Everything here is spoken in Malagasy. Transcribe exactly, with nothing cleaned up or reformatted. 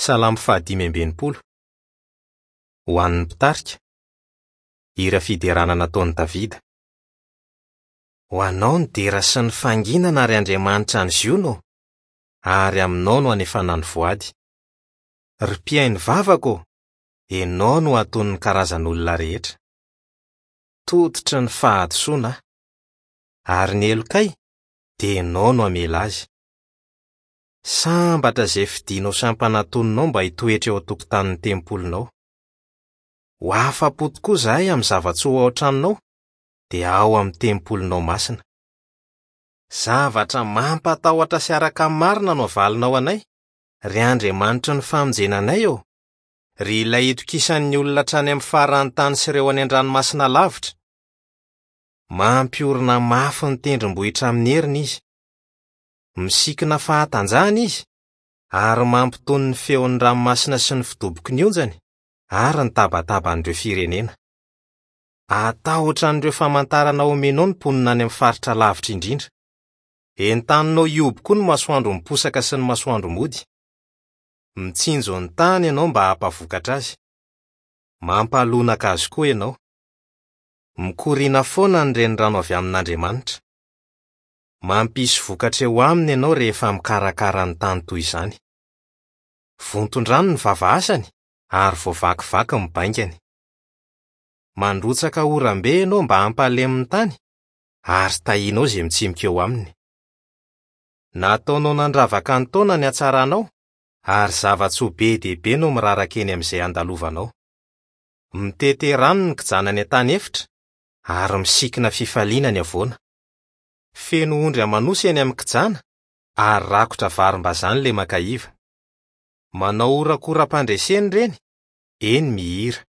Salamo fahadimy amby enimpolo. Ho an'ny mpitarika. Hira fiderana nataon'i Davida. Ho anao ny dera sy ny fanginana, ry Andriamanitra ny Ziona ô, ary aminao no anefana ny voady. Ry mpihaino vavaka ô, ianao no hatonin'ny karazan'olona rehetra. Tototry ny fahadisoana aho, ary ny helokay dia ianao no hamela azy. Sambatra izay fidinao sy ampanatoninao mba hitoetra eo an-tokotanin'ny tempolinao. Ho afa-po tokoa izahay amin'ny zava-tsoa ao an-tranonao, dia ao amin'ny tempolinao masina. Zavatra mampatahotra sy araka ny marina no avalinao anay, ry Andriamanitry ny famonjena anay ô! Ry ilay itokisan'ny olona hatrany amin'ny faran'ny tany sy ireo any an-dranomasina lavitra. Mampiorina mafy ny tendrombohitra amin'ny heriny izy. Misikina fahatanjahana izy ary mampitony ny feon'ny ranomasina sy ny fidoboky ny onjany ary ny tabataban'ireo firenena. Atahotra an'ireo famantarana omenao ny mponina any amin'ny faritra lavitra indrindra. Entaninao hihoby koa ny masoandro miposaka sy ny masoandro mody. Mitsinjo ny tany ianao mba hampavokatra azy. Mampalonaka azy koa ianao. Mikoriana foana ny renirano avy amin'Andriamanitra. Mampisy vokatra eo aminy ianao rehefa mikarakara ny tany toy izany. Vonton-drano ny vavahasany ary voavakivaky ny baingany. Mandrotsaka oram-be ianao mba hampalemy ny tany ary tahianao izay mitsimika eo aminy. Nataonao nandravaka ny taona ny hatsaranao ary zava-tsoa be dia be no miraraka eny amin'izay andalovanao. Mitete rano ny kijana any an-tany efitra ary misikina fifaliana ny havoana. Feno ondry aman'osy eny amin'ny kijana ary rakotra varim-bazaha ny lemaka iva. Manao horakoram-pandresena ireny, eny mihira.